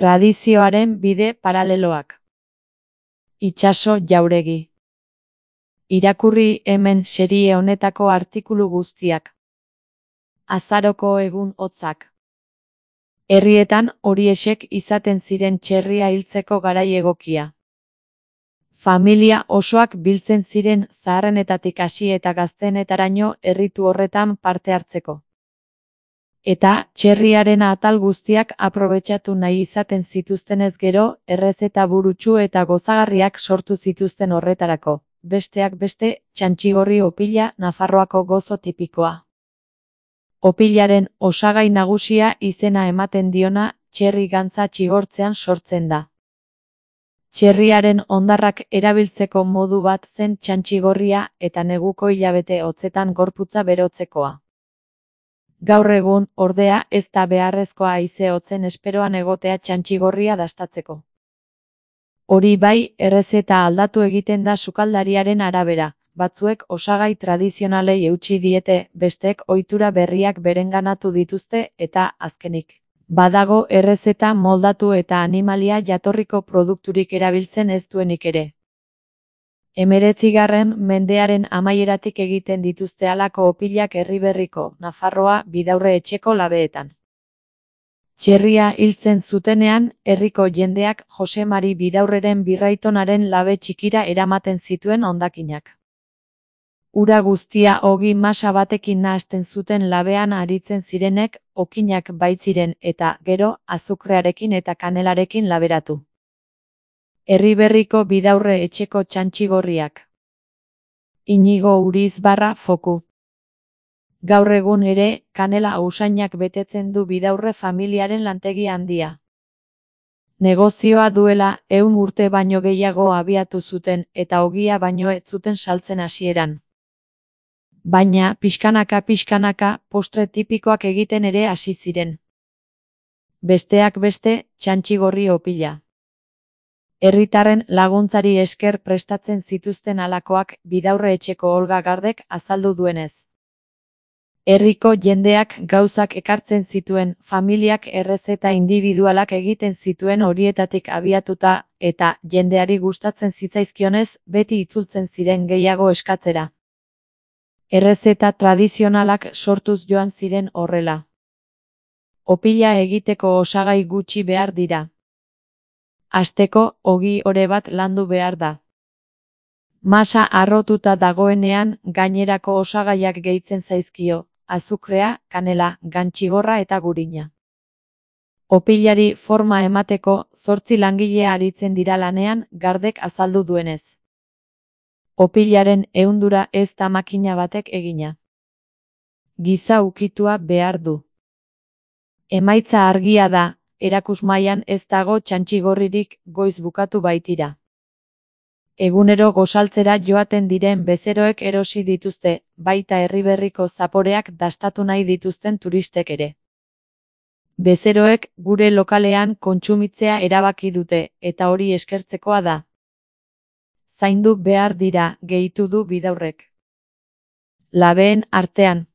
Tradizioaren bide paraleloak. Itsaso Jauregi. Irakurri hemen serie honetako artikulu guztiak. Azaroko egun hotzak. Herrietan horiexek izaten ziren txerria hiltzeko garai egokia. Familia osoak biltzen ziren zaharrenetatik hasi eta gazteenetaraino erritu horretan parte hartzeko. Eta txerriaren atal guztiak aprobetxatu nahi izaten zituztenez gero, errezeta burutsu eta gozagarriak sortu zituzten horretarako, besteak beste, txantxigorri opila Nafarroako gozo tipikoa. Opilaren osagai nagusia izena ematen diona, txerri gantza txigortzean sortzen da. Txerriaren hondarrak erabiltzeko modu bat zen txantxigorria eta neguko hilabete hotzetan gorputza berotzekoa. Gaur egun, ordea, ez da beharrezkoa haize hotzen esperoan egotea txantxigorria dastatzeko. Hori bai, errezeta aldatu egiten da sukaldariaren arabera, batzuek osagai tradizionalei eutsi diete, besteek ohitura berriak berenganatu dituzte eta, azkenik, badago errezeta moldatu eta animalia jatorriko produkturik erabiltzen ez duenik ere. 19. mendearen amaieratik egiten dituzte halako opilak Erriberriko, Nafarroa, Bidaurre etxeko labeetan. Txerria hiltzen zutenean, herriko jendeak Jose Mari Bidaurreren birraitonaren labe txikira eramaten zituen hondakinak. Ura guztia ogi masa batekin nahasten zuten labean aritzen zirenek, okinak baitziren eta, gero, azukrearekin eta kanelarekin laberatu. Erriberriko Bidaurre etxeko txantxigorriak. Inigo Urizbarra Foku. Gaur egun ere, kanela usainak betetzen du Bidaurre familiaren lantegi handia. Negozioa duela 100 urte baino gehiago abiatu zuten eta ogia baino ez zuten saltzen hasieran. Baina, pixkanaka, postre tipikoak egiten ere hasi ziren. Besteak beste, txantxigorri opila. Herritarren laguntzari esker prestatzen zituzten halakoak Bidaurre etxeko Olga Gardek azaldu duenez. Herriko jendeak gauzak ekartzen zituen, familiak errezeta indibidualak egiten zituen horietatik abiatuta, eta jendeari gustatzen zitzaizkionez, beti itzultzen ziren gehiago eskatzera. Errezeta tradizionalak sortuz joan ziren horrela. Opila egiteko osagai gutxi behar dira. Hasteko, ogi ore bat landu behar da. Masa harrotuta dagoenean, gainerako osagaiak gehitzen zaizkio, azukrea, kanela, gantxigorra eta gurina. Opilari forma emateko, 8 langile aritzen dira lanean, Gardek azaldu duenez. Opilaren ehundura ez da makina batek egina. Giza ukitua behar du. Emaitza argia da. Erakusmailan ez dago txantxigorririk, goiz bukatu baitira. Egunero gozaltzera joaten diren bezeroek erosi dituzte, baita Erriberriko zaporeak dastatu nahi dituzten turistek ere. Bezeroek gure lokalean kontsumitzea erabaki dute, eta hori eskertzekoa da. Zaindu behar dira, gehitu du Bidaurrek. Labeen artean.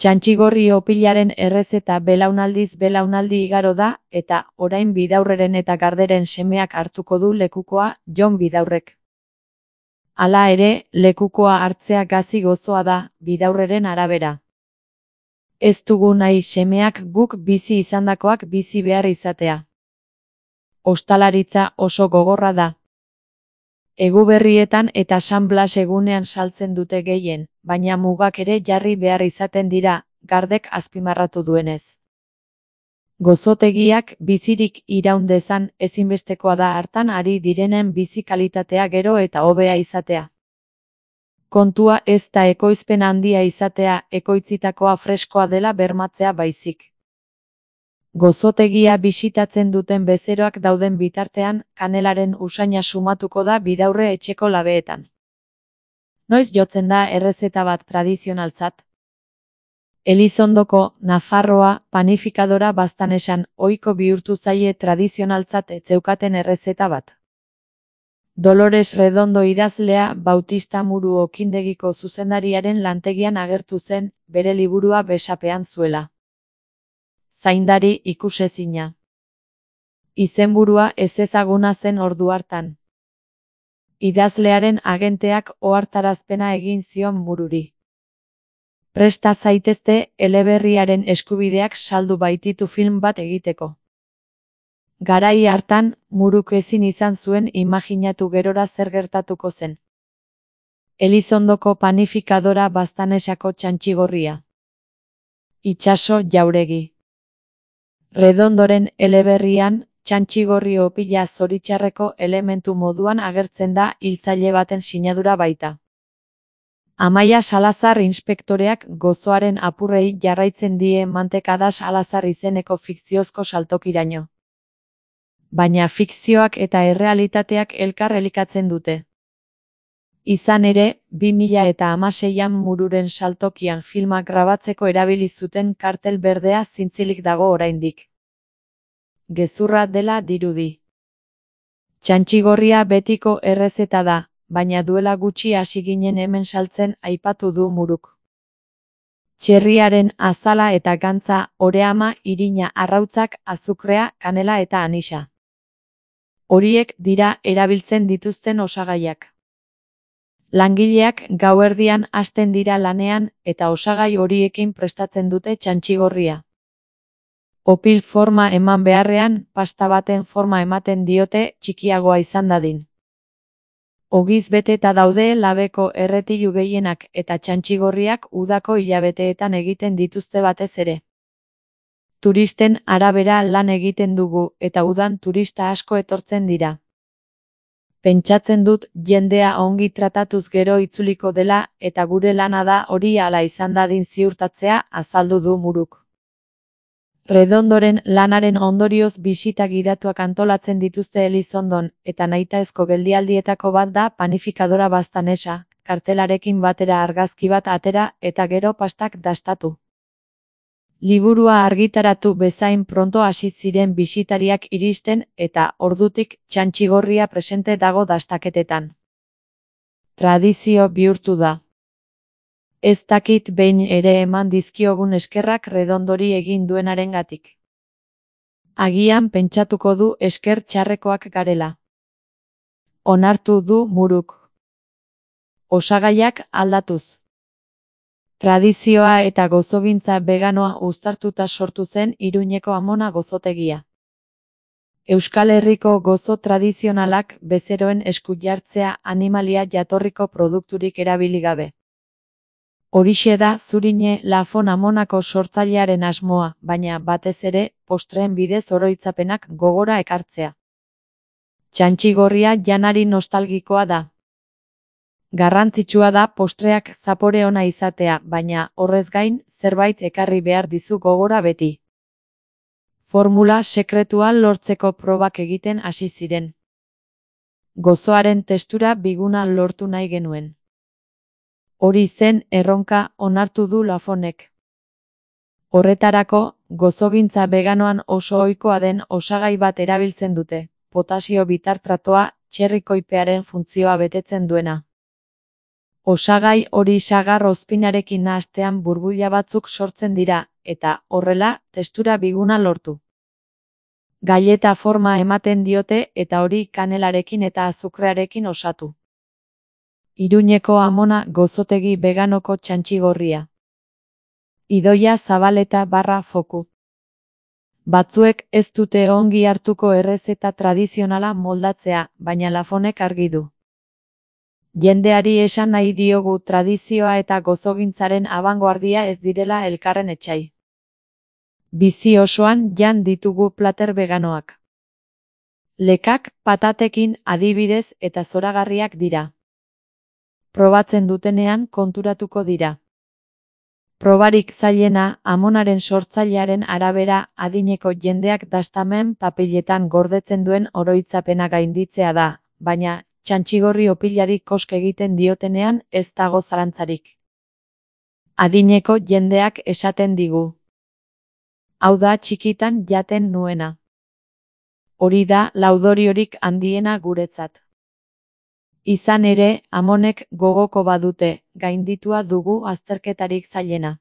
Txantxigorri opilaren errezeta belaunaldiz belaunaldi igaro da, eta orain Bidaurreren eta Garderen semeak hartuko du lekukoa, Jon Bidaurrek. Hala ere, lekukoa hartzea gazi gozoa da, Bidaurreren arabera. Ez dugu nahi semeak guk bizi izandakoak bizi behar izatea. Ostalaritza oso gogorra da. Eguberrietan eta San Blas egunean saltzen dute gehien, baina mugak ere jarri behar izaten dira, Gardek azpimarratu duenez. Gozotegiak bizirik iraun dezan ezinbestekoa da hartan ari direnen bizi kalitatea gero eta hobea izatea. Kontua ez da ekoizpen handia izatea, ekoitzitakoa freskoa dela bermatzea baizik. Gozotegia bisitatzen duten bezeroak dauden bitartean, kanelaren usaina sumatuko da Bidaurre etxeko labeetan. Noiz jotzen da errezeta bat tradizionaltzat? Elizondoko, Nafarroa, panifikadora Baztanesan ohiko bihurtu zaie tradizionaltzat ez zeukaten errezeta bat. Dolores Redondo idazlea Bautista Muru okindegiko zuzendariaren lantegian agertu zen, bere liburua besapean zuela. Zaindari ikusezina. Izenburua ezezaguna zen ordu hartan. Idazlearen agenteak ohartarazpena egin zion Mururi. Presta zaitezte eleberriaren eskubideak saldu baititu film bat egiteko. Garai hartan, Muruk ezin izan zuen imajinatu gerora zer gertatuko zen. Elizondoko panifikadora Baztanesako Txantxigorria. Itsaso Jauregi. Redondoren eleberrian, Txantxigorri opila zoritxarreko elementu moduan agertzen da hiltzaile baten sinadura baita. Amaia Salazar inspektoreak gozoaren apurrei jarraitzen die Mantekada Salazar izeneko fikziozko saltokiraino. Baina fikzioak eta errealitateak elkar elikatzen dute. Izan ere, 2016an Mururen saltokian filmak grabatzeko erabili zuten kartel berdea zintzilik dago oraindik. Gezurra dela dirudi. Txantxigorria betiko errezeta da, baina duela gutxi hasi ginen hemen saltzen aipatu du Muruk. Txerriaren azala eta gantza, oreama, irina, arrautzak, azukrea, kanela eta anisa. Horiek dira erabiltzen dituzten osagaiak. Langileak gauerdian hasten dira lanean eta osagai horiekin prestatzen dute txantxigorria. Opil forma eman beharrean, pasta baten forma ematen diote txikiagoa izan dadin. Ogiz beteta daude labeko erretilu gehienak eta txantxigorriak udako hilabeteetan egiten dituzte batez ere. Turisten arabera lan egiten dugu eta udan turista asko etortzen dira. Pentsatzen dut jendea ongi tratatuz gero itzuliko dela eta gure lana da hori hala izan dadin ziurtatzea, azaldu du Muruk. Redondoren lanaren ondorioz bisita gidatuak antolatzen dituzte Elizondon eta nahitaezko geldialdietako bat da panifikadora Baztanesa, kartelarekin batera argazki bat atera eta gero pastak dastatu. Liburua argitaratu bezain pronto hasi ziren bisitariak iristen eta ordutik Txantxigorria presente dago dastaketetan. Tradizio bihurtu da. Ez dakit behin ere eman dizkiogun eskerrak Redondori egin duenarengatik. Agian pentsatuko du esker txarrekoak garela. Onartu du Muruk. Osagaiak aldatuz. Tradizioa eta gozogintza veganoa uztartuta sortu zen Iruñeko Amona gozotegia. Euskal Herriko gozo tradizionalak bezeroen esku jartzea animalia jatorriko produkturik erabili gabe. Horixe da Zurine Lafon Amonako sortzailearen asmoa, baina batez ere postreen bidez oroitzapenak gogora ekartzea. Txantxigorria janari nostalgikoa da. Garrantzitsua da postreak zapore ona izatea, baina horrez gain zerbait ekarri behar dizu gogora beti. Formula sekretua lortzeko probak egiten hasi ziren. Gozoaren testura biguna lortu nahi genuen. Hori zen erronka, onartu du Lafonek. Horretarako, gozogintza veganoan oso ohikoa den osagai bat erabiltzen dute, potasio bitartratoa, txerrikoipearen funtzioa betetzen duena. Osagai hori sagar ozpinarekin nahastean burbuila batzuk sortzen dira, eta, horrela, testura biguna lortu. Galleta forma ematen diote eta hori kanelarekin eta azukrearekin osatu. Iruñeko Amona gozotegi veganoko Txantxigorria. Idoia Zabaleta /foku. Batzuek ez dute ongi hartuko errezeta tradizionala moldatzea, baina Lafonek argi du. Jendeari esan nahi diogu tradizioa eta gozogintzaren abangoardia ez direla elkarren etsai. Bizi osoan jan ditugu plater veganoak. Lekak patatekin adibidez eta zoragarriak dira. Probatzen dutenean konturatuko dira. Probarik zailena, Amonaren sortzailearen arabera adineko jendeak dastamen papiletan gordetzen duen oroitzapena gainditzea da, baina Txantxigorri opilari kosk egiten diotenean ez dago zalantzarik. Adineko jendeak esaten digu. Hau da txikitan jaten nuena. Hori da laudoriorik handiena guretzat. Izan ere, Amonek gogoko badute, gainditua dugu azterketarik zailena.